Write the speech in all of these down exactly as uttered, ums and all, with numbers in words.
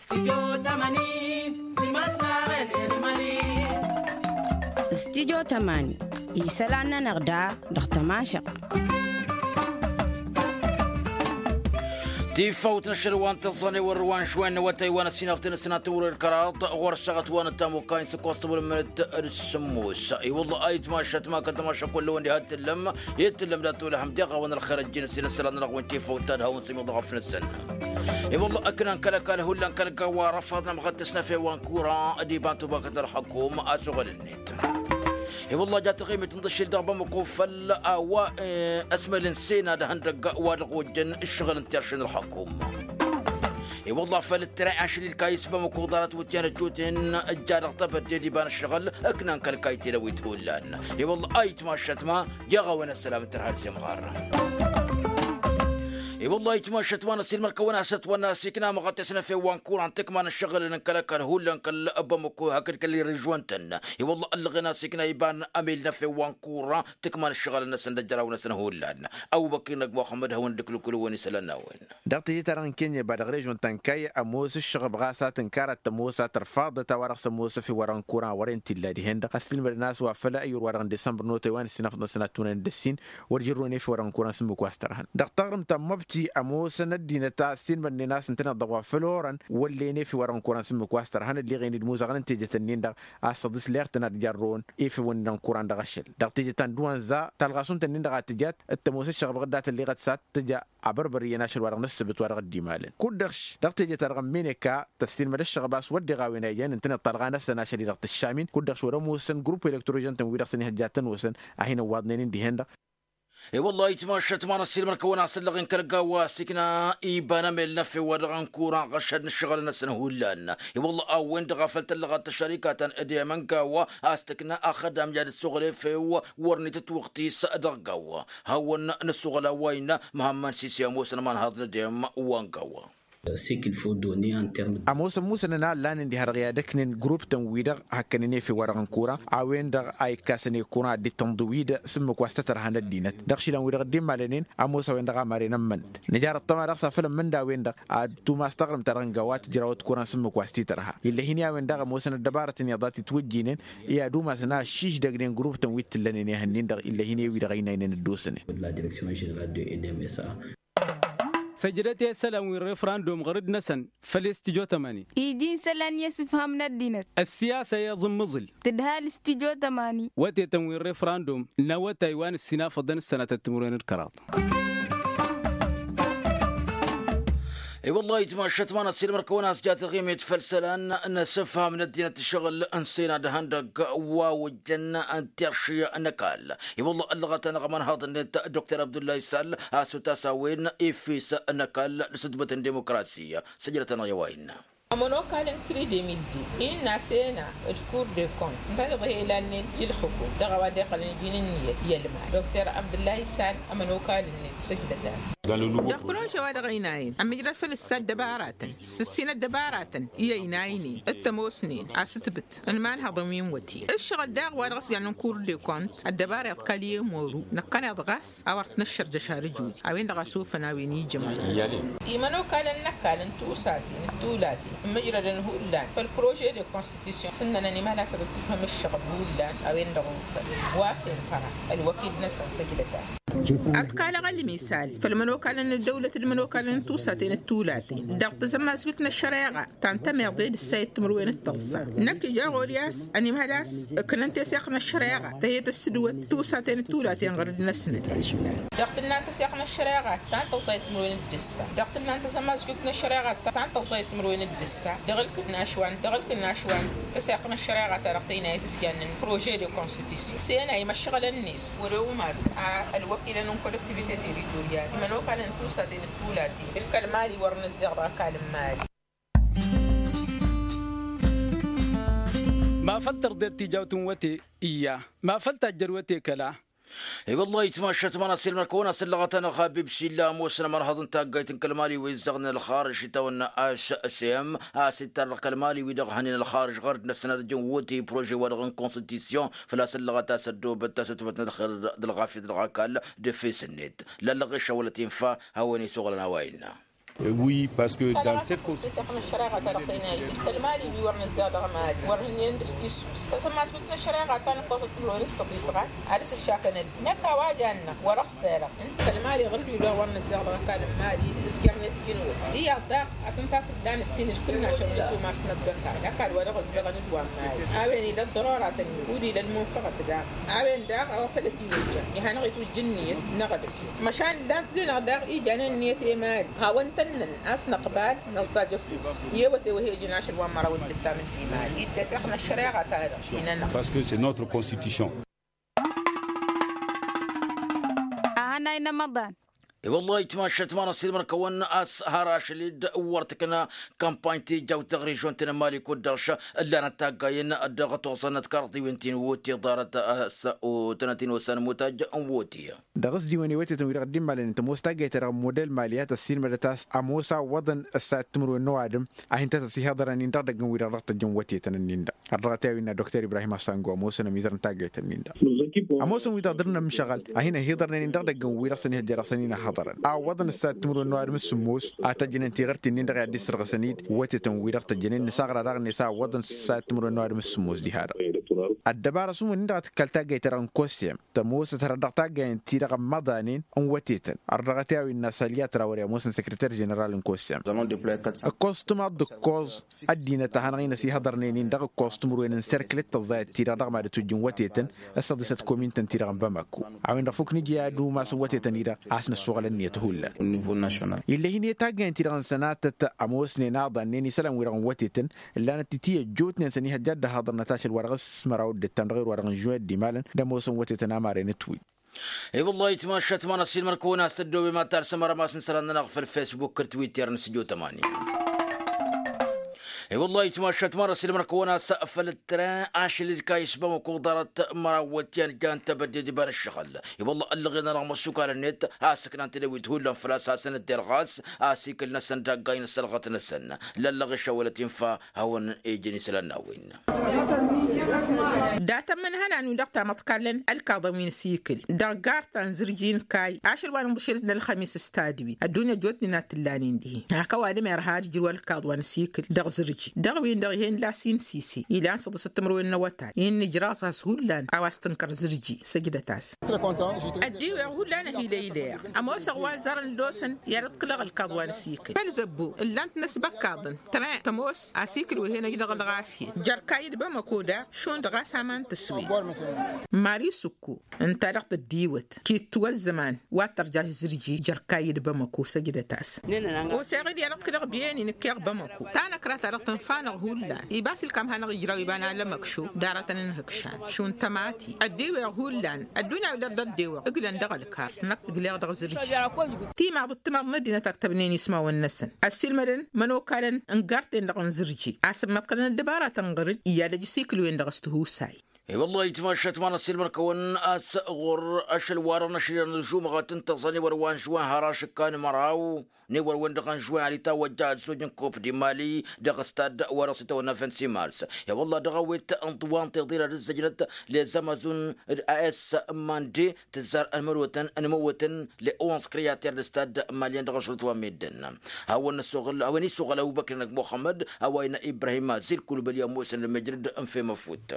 Stidyo tămani. Isălan-nănăɣ da dăɣ-tămašăɣt. Tifawt n-ašăl wa n-tăẓẓane wăr wa n-šwen n-awătay wa n-ăssinaften s-nătăwrăr kăraḍ ɣur-ăššăɣăt wa n-ăttamukay n-săkkoẓ tăwălmănăt d-sămmos. I-wălla ayǝtmašăt ma kăl-tămašăk wălla wăn-di had-tǝllăm i-tǝllăm dat-tolăhăm deɣ a-wen ălxer ăjjin ăssin ăssălan-nănăɣ wen tifawt ta d-hawăn-sămiḍăɣ ăfnăsăn. I-wălla ăknan kăl-ăkall hullan kăl-gawa răfaḍ n-amɣăt tăsnăfe wa n-kura d-iba n-tubakăt n-ălxăkum a-s oɣălăn i-wălla ja taɣimit n-dăšil dăɣ-bamăko făll-a-wa ăsmălăn sena d-ahăndăgg wa dăɣ-ojjăn ǝššăɣǝl n-terše n-ălxăkum. I-wălla făll-ǝttăra ašăl ilkayǝs bamăko ḍarăt wǝtyan ăjjoten ǝjja dăɣ-tebădde d-iba n-ǝššăɣǝl ǝknan kăl-kaytele wi t-hullan. I-wălla a itmašăt ma jeɣ a-wen ăssălam n-tărha d-semɣar. I-wălla a itmašăt ma n-ăssiilmăr-kăwăn-asăt wănna s-ikna măɣăt esnăfe wa n-kuran tǝkma n-ǝššăɣǝlăn n-kăl-ăkall hullan kăl-bamăko hakd kăl-irǝžwăn-tăn. I-wălla ăllăɣen a-s ikna iba n-amil n-efew wa n-kura tǝkma n-ǝššăɣǝlăn-năsăn d-ăjraw-năsăn hullan. Ăbubăkir n-ăgg muxămmăd hawăn-dd-ǝklǝkǝlǝwăn isălan n-a-wen. Dăɣ-teje-ta-dăɣ n-kenya iba dăɣ-režon ta n-kayy ămoos ǝššăɣăb ɣas a tǝnkar ad-tămoos a tărfaḍăt a-wa-dăɣ s-ămoos efew-wa-dăɣ n-kura n-wăren t-illa dihen-dăɣ ăssilmădăn a-s wa făl ăyyur-wa-dăɣ n-disămbăr n-otay wa n-ǝssinafăḍăn s-ănatunăn d-ăssin wăr jărrăwăn efew-wa-dăɣ n-kura n-sǝmmǝk wa s-tărhăn. Dăɣ-taɣrǝmt ta n-măbti ămoosăn ăddinăt a ăssiilmădnen a-s ǝntăneḍ-dăɣ wa făl orăn wăllen efew-wa-dăɣ n-kura n-sǝmmǝk wa s-tărhăn ălleɣen-dd imuzăɣăn n-tejăt-nin-dăɣ a-s tăḍis ler-tăn ad-jarrăwăn efewăn-dăɣ n-kura n-dăɣ-ašăl. Dăɣ-tejăt ta n-duwanza talɣasunt-nin-dăɣ a tǝjat t-ămoos ǝššăɣăb ɣǝdda tălleɣăt s-ad-tǝja abărbăr iyyăn ašăl-wa-dăɣ n-ǝssǝbǝt wa dăɣ-dd-imalăn kud-dăɣ-š dăɣ-teje-ta-dăɣ n-meneka tăssiilmăd ǝššăɣăb a-s wăr deɣ a-wen a ijăn ǝntăneḍ talɣa-năsăn ašăl-i-dăɣ tǝššam-in kud-dăɣ-š wăr-ămoosăn grupp elektrožăn-tăn-wi-dăɣ s-ănihăjja ad-tăn-osăn a hin-ăwwaḍnen-in dihen-dăɣ. I-wăllah itmašăt ma n-ăssiilmăr-kăwăn-asăllăɣ-in kăl-gawa s-ikna iba n-amel n-efew wa dăɣ-n kuran ɣăššăd n-ǝššăɣǝl-năsăn hullan. I-wăllah a-wen-dăɣ a făl tăllăɣăt tăššărika ta n-edem n-gawa a-s tǝkna axădam i-ad-ǝssuɣǝl efew wăr nitǝtwăɣtis dăɣ-gawa. Hawăn-nǝssuɣǝl a-wa innă măhămmăn sisi ămoosăn imanhaḍ n-edem wa n-gawa. Ămoosăn musănăn a ǝllanen diha-dăɣ i-ad-ǝknen grup-tăn-wi-dăɣ hăkkănen efew-wa-dăɣ n-kura a-wen-dăɣ a ikkasăn i-kura dd-tănḍǝw-dd s-ǝmmǝk wa s-tăt-ărhan ăddinăt dăɣ-išilan-wi-dăɣ dd-immalănen. Ămoos a-wen-dăɣ a maren ămmănăt nǝjar ăṭṭăma dăɣ-s afăl ămmănda a-wen-dăɣ ad-tumas taɣrǝmt-ta-dăɣ n-gawa tǝjrawăt kura n-sǝmmǝk wa s-t-tărha. Ill'-e hin-i a-wen-dăɣ ămoosăn ăddăbarătăn iyyăḍ a t-itwǝjjinen i-ad-umasăn a ăššišdăgnen grup-tăn wi t-tǝllănen i-ehăn-in-dăɣ ill'-e hin-e wi-dăɣ ăynaynen ăddoosănen. Săjdăt i-isălan wi n-refrandum ɣăr-dd-năsăn făll-i s-tijot ămani. Iji n-isălan i-asǝfham n-ăddinăt. Ăssiyasa i-iẓǝmmǝẓǝl. Tǝdhal s-tijot ămani. Wătetăn wi n-refrandum n-awătay wa n-ǝssinafăḍăn s-sănatăt timǝrwen d-kăraḍ. I-wăllah itmašăt ma n-ăssiilmăr-kăwăn a-s ja taɣimit făll-isălan n-asǝfham n-ăddinăt ǝššăɣǝl n-sena d-ihăndăgg wa ojjăn n-terši n-ăkall. I-wăllah ăllăɣăt-anăɣ ămanhaḍ-net dr abdullah isal a-s otas a-wen efes n-ăkall d-asǝtbăt n-dimukrasi. Săjdăt-anăɣ i-a-wa innă. Ămănokal n-kridemildi innă asena d-kur de kont n-tadăḍ he-ilannen i-ǝlxǝkum dăɣ-a-wa dd-iqqălăn iji n-ǝnniyăt i-ălmal dr abdullah isal. Ămănokal-net săjdăt-as. Dăɣ-prože wa dăɣ-ăynayăn ămijrăd făll-ǝssa ăddăbaratăn s-ǝssin ăddăbaratăn i-ăynaynen d-tămoosnen asǝtbǝt n-imanhăḍăn wi n-wăte. Ǝššăɣǝl daɣ wa dăɣ-s jannen kur de kont ăddăbara iḍkal i-ămoru năkkăneḍ ɣas a-wa ărt năššărjăš har ǝjud a-wen-dăɣ a sofăn a-wen ijămăn. Imănokalăn n-ăkall n-tusaten d-tulaten ǝmmǝjrădăn hullan făll-prože de constitution s-ǝnnănăn imhăl-as ad-dd-tǝfhǝm ǝššăɣǝl hullan a-wen-dăɣ ofăn wa s-infăra ălwăkil-năsăn săjdăt-as. Ad-t-kalăɣ ălmisal făll-imănokalăn n-ăddăwlăt d-imănokalăn n-tusaten d-tulaten dăɣ-tazămmasjut n-ăššăreɣa ta n-tămeḍe d-ǝssa i-timǝrwen d-tăẓẓa. Năkk ija ɣur-i a-s ănimhăl a-s ǝknăn teseɣt n-ăššăreɣa ta he-tăssǝdwăt tusaten d-tulaten ɣăr-dd-năsnăt. Dăɣ-tǝnna n-teseɣt n-ăššăreɣa ta n-tăẓẓa i-timǝrwen d-ǝssa dăɣ-tǝnna n-tazămmasjut n-ăššăreɣa ta n-tăẓẓa i-timǝrwen d-ǝssa dăɣ-ǝlkǝnnaš wa n-dăɣ-ǝlkǝnnaš wa n-teseɣt n-ăššăreɣa ta dăɣ-tăynayăt s-jannen prože de constitution s-e n-a imăššăɣǝlăn-net wăr-e umasăn a ălwăkilăn n-kollektivite teritorial imănokalăn n-tusaten d-tulaten d-kăl-mali wăr nǝzzeɣ dăɣ-ăkall n-mali. Ma făl tărḍet tijawt n-wăte iyya ma făl tajjăd wăte kăla. I-wăllah itmašăt ma n-asilmăr-kăwăn-asăllăɣăt-anăɣ habib s-illa ămoosăn ămărhăḍ n-taggayt n-kăl-mali wi ǝzzăɣnen ălxarǝž itawănna ašsem a-s ittarrăɣ kăl-mali wi-dăɣ hănen ălxarǝž ɣăr-dd-năsăn ad-ǝjǝn wăte prože-wa-dăɣ n-konstitution făl-a-s ăllăɣăt a-s ăddoobăt tasǝtbăt n-ălxer d-ălɣafyăt dăɣ-ăkall d-efes-net. Lallăɣ išawălăt infa hawăn-isuɣǝlăn a-wa innă. Oui, parce que dans cette constitution. Tălmali wi wăr nǝzzeɣ dăɣ-mali wăr hǝnnen dăɣ-s tissus tăsămmas wǝtnă šăreɣa ta n-ăkkoẓăt timǝrwen s-săḍis ɣas ad-dăɣ-s ǝššakăn-ădd năkk a-wa jan-năɣ wăr-ăṣ terăɣ. Ǝnta tălmali ɣǝr-dd wi-dăɣ wăr nǝzzeɣ dăɣ-ăkall n-mali ǝzjărnet ijǝnwăt iyyăḍ daɣ ad-tăn-tasǝb da n-ǝssin d-kull n-ašăl n-ăttum a-s năbdăkar d-ăkall wa dăɣ-ǝzzăɣăn d-wa n-mali a-wen ila ăḍḍărora tăn-in kud ila ălmunfăɣăt daɣ. A-wen daɣ a-wa făl ătijăjja i-hanăɣ-itwǝjj ǝnniyăt n-aɣdǝs măšan ǝllan-t dăɣ-năɣ daɣ ijanăn ǝnniyăt i-mali hawăn-tănnăn a-s năqbal năẓẓaj ăfuss i-ewăte wa he-ijăn ašăl wa n-măraw d-ǝttam n-hi-mali iddăseɣ n-ăššăreɣa-ta-dăɣ ti-nănăɣ. Parce que c'est notre constitution. Ahănay n-amăḍan. I-wăllah itmašat ma n-asilmăn kăwăn a-s har ašăl-dd wăr tǝkna kampany tijawt dăɣ-režion-tăn n-mali kud-dăɣ ǝllanăt taggayen dăɣ-toẓănăt karḍiwen ti n-woti ḍarăt a-s otănăt-in osan mutaj n-woti. Dăɣ-s diwen i-wătetăn wi-dăɣ dd-immalăn tămoos taggayt-ta-dăɣ model mali a tăssilmădăt a-s ămoos a ǝwwăḍăn ăssayăt timǝrwen n-ăwadǝm a hin-tăt-ăsihăḍărăn-in dăɣ-idăgg n-wi-dăɣ dăɣ-tăjjăn wătetăn-nin-dăɣ. Ărrăɣăt i-a-wi innă dokter ibrahim ăssango ămoosăn ămizăr n-taggayt-nin-dăɣ. Ămoosăn wi-dăɣ dăr-nămšăɣăl a hin-ăhiḍărnen-in dăɣ-idăgg n-wi-dăɣ s-ănihăjja dăɣ-săn-in ăhhăḍărăn a ǝwwăḍăn ăssayăt timǝrwen n-ăwadǝm s-sǝmmos a tăjjănen tiɣǝrt-in-dăɣ i-ad-dd-issărɣǝsăn-dd wătetăn-wi-dăɣ tăjjănen nǝsaɣra daɣ-net a ǝwwăḍăn s-săyăt timǝrwen n-ăwadǝm s-sǝmmos diha-dăɣ. Ăddăbara s-umǝn-in-dăɣ a tǝkkal taggayt-ta-dăɣ n-kosem tămoosăt hărăt dăɣ-taggayăn-ti-dăɣ ămmăḍanen n-wătetăn. Ărrăɣăt i-a-wen n-asălyat rawăre ămoosăn săkrăter ženeral n-kosem. Ǝkkoẓ tǝmaḍ d-ǝkkoẓ ăddinăt a hanăɣ-in-ăsihăḍărnen-in dăɣ-ǝkkoẓ timǝrwen n-serkǝlet tăẓẓayăt-ti-dăɣ dăɣ-mad-ǝtwǝjjǝn wătetăn s-săḍisăt komin-tăn-ti-dăɣ n-bamako. A-wen-dăɣ fukk nǝja i-ad-umas n-wătetăn-i-dăɣ a-s năssuɣăl ǝnniyăt hullan. Ill'-e hin-e taggayăn-ti-dăɣ n-sănatăt ămoosnen aḍannen isălan-wi-dăɣ n-wătetăn ǝllanăt-t-i ăjjootnen s-ănihăjja ad-dd-ăhaḍărnăt ašăl wa dăɣ-s măraw d-ǝttam dăɣ-erwa-dăɣ n-žuwin d-imalăn d-ămoosăn wătetăn amaren ǝtwǝy. I-wăllah itmašat ma n-asilmăn kăwăn-as tăddoobem ad-talsăm arămas n-isălan-nănăɣ făll-fesbuk d-twitter n-sǝjo tămani. I-wăllah itmašat ma n-asilmăn kăwăn-as făll-tren ašăl-dd kayǝs bamăko ḍarăt măraw wătyan jan tebădde d-iba n-ǝššăɣǝl. I-wăllah ăllăɣen-anăɣ măssukalăn-net a sǝknan tedăwit hullan făl-a-s hasăn-dd-irɣas asikǝl-năsăn d-aggay n-ăssălɣăt-năsăn. Lăllăɣ išawălăt infa hawăn-ejăn isălan-n-a-wen. Dat-ămmănhănan-wi-dăɣ tamăḍkallăn ălkaḍăn wi n-asikǝl dăɣ-gar ta n-zǝrji n-kayy ašăl wa n-inḍǝšel n-ălxămis s-tadwit ăddunya ăjjootnen a t-ǝllanen dihen hak ăwadǝm irha ad-ǝjrǝw ălkaḍ wa n-asikǝl dăɣ-zǝrji dăɣ-win-dăɣ ih'-en lasin sise ilan săḍǝsăt timǝrwen n-awătay-in nǝjraẓ-as hullan a-wa s-tǝnkăr zǝrji. Săjdăt-as. Ăddiweɣ hullan ăhilăyleɣ ămoosăɣ wa ăzzarăn ăldoosăn i-ad-ǝḍkǝlăɣ ălkaḍ wa n-asikǝl făll-zăbbo ǝllan-t n-asbăkkaḍăn tren tămoos asikǝl wi hen-ăj dăɣ-ălɣafyăt jer-kayy d-bamăko daɣ šund ɣas aman tǝswed. Mari sǝkko ǝnta-dăɣ tăddiwăt kittǝw ăzzăman wa t-tărjaš zǝrji jer-kayy d-bamăko săjdăt-as. Oseɣ-dd i-ad-ăḍkǝlăɣ biyăni nǝkkeɣ bamăko tanăkra-ta-dăɣ tǝnfa-năɣ hullan ibas ǝlkam hanăɣ-ijraw iba n-alămăkšo d-aratăn n-ihǝkšan šund tămati ăddiweɣ hullan ăddunya-wi dăr-dd-ăddeweɣ ǝglăn dăɣ-ălkar năkk ǝgleɣ dăɣ-zǝrji. Timaḍ d-timaḍ n-ăddinăt a ǝktăbnen ismawăn-năsăn ăssiilmădăn imănokalăn n-garten-dăɣ n-zǝrji a sămmăḍkălăn ăddăbara tănɣăr-dd iyyăl ăj asikǝl-wen-dăɣ s-tihusay. I-wăllah itmašat ma n-ăssiilmăd-kăwăn a-s ɣur-ašăl-wa-dăɣ n-ašăl i-anăẓžumăɣ ad-tăn-tăẓẓăn i-wăr wa n-žuwan har ašǝkka n-măraw n-e-wăr-wen-dăɣ n-žuwan ad-itawăjja ăzzoj n-kop d-imali dăɣ-stad wa dăɣ-s itawănna vingt-six mars. I-wăllah dăɣ-awet n-tiwantiḍin ad-ǝzzăjnăt lezamazun d-a s mande tǝzzar ănmănotăn ănmăwătăn le onze creater d-stad malian dăɣ-ašrut wa n-meddǝn. Hawăn-isuɣǝl hawăn-isuɣǝl ăbubăkr n-muxămmăd a-wa innă ibrahim azil kulbăli ămoosăn lămăjrăd n-fem ăfut.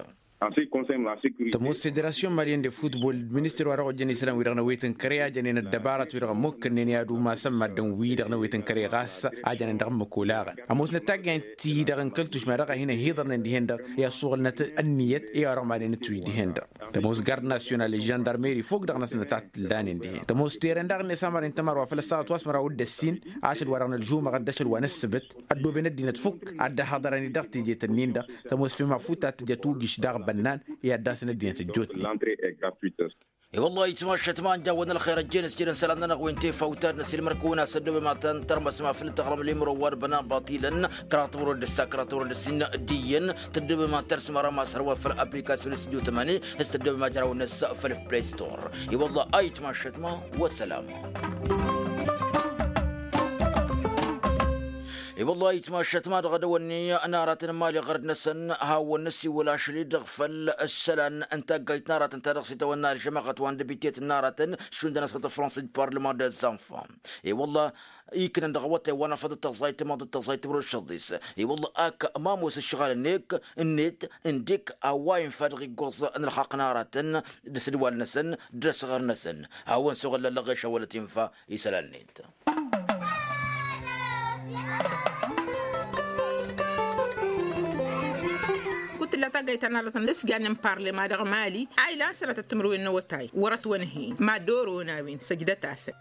Tămoos federasyon malian de futbol d-ministăr wa dăɣ-ojăn isălan-wi-dăɣ n-awet n-kăre a jănen ăddăbarăt-wi-dăɣ ămmukkănnen i-ad-umasăn maddǝn-wi-dăɣ n-awet n-kăre ɣas a jănen dăɣ-ǝmmǝk olaɣăn ămoosnăt taggaynt-ti-dăɣ n-kăl-tušma dăɣ-a hin-ăhiḍărnen dihen-dăɣ i-ăssuɣǝlnăt ǝnniyăt i-wa dăɣ-maden ǝtwǝy dihen-dăɣ. Tămoos gard nasyonal d-žăndarmeri fok dăɣ-năsnăt ad-t-ǝllanen dihen tămoos teren daɣ-net amăren tămar wa făl ăssaɣăt wa s-măraw d-ăssin ašăl wa dăɣ-nălžumăɣ d-ašăl wa n-ǝssǝbǝt ăddooben ăddinăt fuk ad-dd-ăhhăḍărăn-dd dăɣ-teje-tăn-in-dăɣ. Tămoos fem afut ad-tǝjăt ugiš daɣ bănnan i-ad-dd-asăn ăddinăt ăjjootnen. I-wăllah itmašat ma n-jawwăn ălxer ăjjeen s-jădăn isălan-nănăɣ wi n-tefawt ad-năsilmăr-kăwăn a-s ăddooben ma tăn-tărmăsăm afǝl tăɣrăm limro wa d-bănan baṭilăn kăraḍ timǝrwen d-ǝssa kăraḍ timǝrwen d-ǝssin d-iyyăn tăddooben ma tărsǝm arămas hărwa făll-aplikasyon studio tămani s-tăddooben ma jărawăn-năs făll-play store. I-wăllah a itmašat ma wăssălam. I-wălla-hi itmašat ma dăɣ-edăwănni n-aratăn n-imali ɣărd-năsăn hawăn-năsiwăl ašăl-i-dăɣ făll-ǝssălan n-taggayt n-aratăn ta dăɣ-s itawănna alžămaɣăt wa n-debite n-aratăn šund-năsăn tăfrănsa d-parlăman dez-anfan. I-wălla iknăn dăɣ-awătay wa n-afăḍ d-tăẓẓayt timăḍ d-tăẓẓayt timrăw d-šăḍḍis. I-wălla ak ma ămoos ǝššăɣǝl-net, n-dik a-wa infa dăɣ-iggoẓ n-ălxaqq n-aratăn d-asǝdwal-năsăn d-asăɣăr-năsăn. Hawăn-suɣǝl lăllăɣ ešăwălăt infa isălan-net. Kull tǝlla taggayt ta n-aratăn d-asǝjjannen parlema dăɣ-mali a ilan sănatăt timǝrwen n-awătay wăr-ătwănhăyăn mad-dd-or onawen săjdăt-asăn.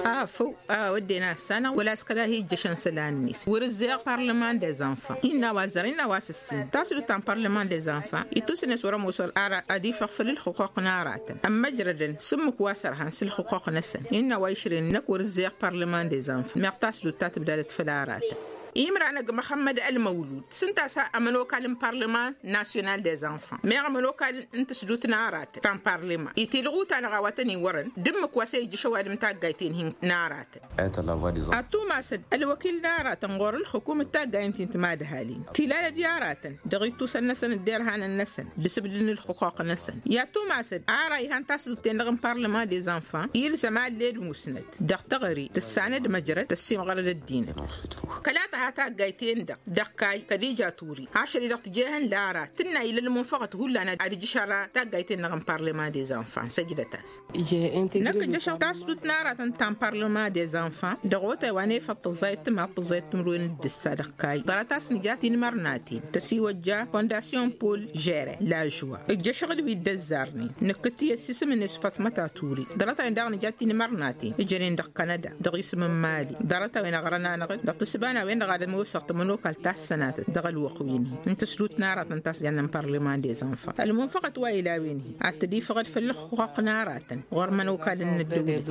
Afăw a wădden a ăssanăɣ wăla s-kăla hi-ijjăšăn isălan-net wăr-ǝzzeɣ parlăman dez-anfan innă a-wa ăzzărăn innă a-wa s-ǝssin tasdut ta n-parlăman dez-anfan ittus-net wăr-ămoos wăr-ara ad-ifăɣ făll-ǝlxǝqquq n-aratăn ămmăjrădăn s-ǝmmǝk wa s-ărhan s-ǝlxǝqquq-năsăn innă a-wa išrăyăn năkk wăr-ǝzzeɣ parlăman dez-anfan meɣ tasdut ta tǝbdadăt făll-aratăn. Imranăgg măxămmăd ălmăwlud s-ǝnta a-s ămănokal n-parlăman nasyonal dez-anfan meɣ ămănokal n-tǝsdut n-aratăn ta n-parlăman itilɣuta-năɣ a-wa tăn-iwărăn d-ǝmmǝk wa s-e-ijjǝš ăwadǝm taggayt-en-hi n-aratăn. Ad-tumasăd ălwăkil n-aratăn ɣur-ǝlxǝkum d-taggayen ti n-timadhalin tilalăd i-aratăn dăɣ-ittusăn-năsăn d-derhanăn-năsăn d-asǝbdǝd n-ǝlxǝqquq-năsăn i-ad-tumasăd ara ihan tasdut-ten-dăɣ n-parlăman dez-anfan ilzăm a ălled musnăt dăɣ-teɣăre tǝssanăd măjrăd tăssimɣărăd ăddinăt. Kăla tǝha taggayt-en-dăɣ dăɣ-kayy kădija turi ašăl-i-dăɣ tǝjehăn lara tǝnna ila ălmunfăɣăt hullan ad-ǝjjǝš ara taggayt-en-dăɣ n-parlăman dez-anfan săjdăt-as. Năkk ǝjjăšăɣ tasdut n-aratăn ta n-parlăman dez-anfan dăɣ-otay wa n-efăḍ tăẓẓayăt timaḍt tăẓẓayăt timǝrwen d-ǝssa dăɣ-kayy ḍarăt a-s nǝja tinmărnaten tăsiwăjja fondasyon pol žere lažwa ǝjjăšăɣ-dd wi dd-ăzzarnen nǝkkǝttǝyăt s-isǝm-net fatmăt aturi ḍarăt-a-wen daɣ nǝja tinmărnaten ǝjănen dăɣ-kanăda dăɣ-isǝm n-mali ḍarăt-a-wen ăɣrăn-anăɣ-dd dăɣ-tǝssǝba n-a-wen-dăɣ ad-ămoosăɣ tămănokalt ta s-sănatăt dăɣ-ălwăqq-wen-hi n-tǝsdut n-aratăn ta s-jannen parlăman dez-anfan ălmunfăɣăt wa ila a-wen-hi ad-tăd-ifăɣăd făll-ǝlxǝqquq n-aratăn ɣur-imănokal n-ăddăwlăt.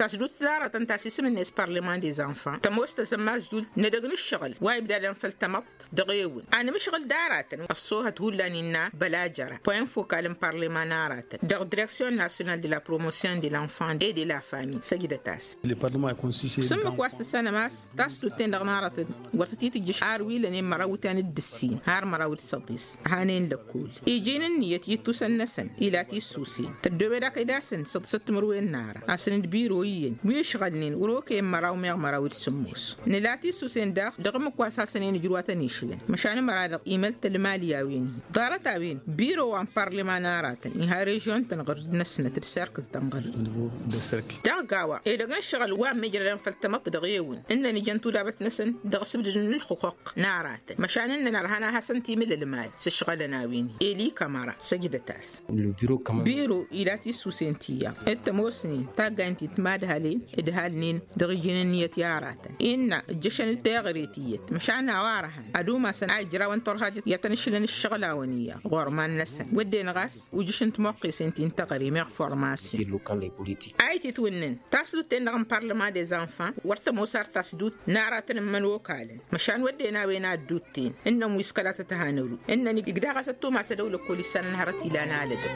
Tasdut n-aratăn ta s-isǝm-net parlăman dez-anfan tămoos tăzămmazjult n-edăgg n-ǝššăɣǝl wa ibdadăn făll-tamăḍt dăɣ-ewǝn anǝmǝšɣǝl d-aratăn ăṣṣoohăt hullan innă bălajăra poin fokal n-parlăman n-aratăn dăɣ-direksyon nasyonal de la promosyon de l-enfant et de la famille săjdăt-as. S-ǝmmǝk wa s-tǝssanăm a-s tasdut-ten-dăɣ n-aratăn wăr tăt-itǝjjǝš har wi lănen măraw ǝtyan d-ǝssin har măraw d-săḍis hanen lăkkol iji n-ǝnniyăt i-ǝttusăn-năsăn ila tissusen tăddoobed akăy dasăn s-ăḍsăt timǝrwen n-ara asăn d-biro iyyăn wi ǝšɣălnen wăr-okăyăn măraw meɣ măraw d-sǝmmos nǝla tissusen daɣ dăɣ-ǝmmǝk wa s-hasăn-en ǝjrǝw a tăn-išlăn măšan ămăra-dăɣ imăl tălmal i-a-wen-hi ḍarăt-a-wen biro wa n-parlăman aratăn iha režyon-tăn ɣǝr-dd năsnăt d-serkǝl-tăn ɣǝr-dd dăɣ-gawa edăgg n-ǝššăɣǝl wa ămmijrădăn făll-tamăḍt dăɣ-ewǝn ǝnnăn ijăn tudabăt-năsăn dăɣ-asǝbdǝd n-ǝlxǝqquq n-aratăn măšan ǝnnăn ărhan a hasăn-timǝl ălmal s-ǝšɣălăn a-wen-hi eli kămăra săjdăt-as. Biro ila tissusen ti-iyyăḍ d-tămoosnen taggayăn ti n-timadhalen ǝdhalnen dăɣ-iji n-ǝnniyăt i-aratăn innă ǝjjăšăn-dd teɣăre tiyyăt măšan a-wa ărhan ad-umasăn a ijrawăn turhajăt i-ad-tăn-išlăn ǝššăɣǝlawăn iyyăḍ ɣur-iman-năsăn wădden ɣas ujǝš n-timoqqesen ti n-teɣăre meɣ formasyon. A ititwǝnnǝn tasdut-ten-dăɣ n-parlăman dez-anfan wăr tămoos ar tasdut n-aratăn n-imănokalăn măšan wădden a-wen a ăddut-ten ǝnnăn wi s-kăla tăt-hanăru ǝnnăn igdăɣ a-s ăttumasădăw lăkkol issanăn hărăt ilan alădăw.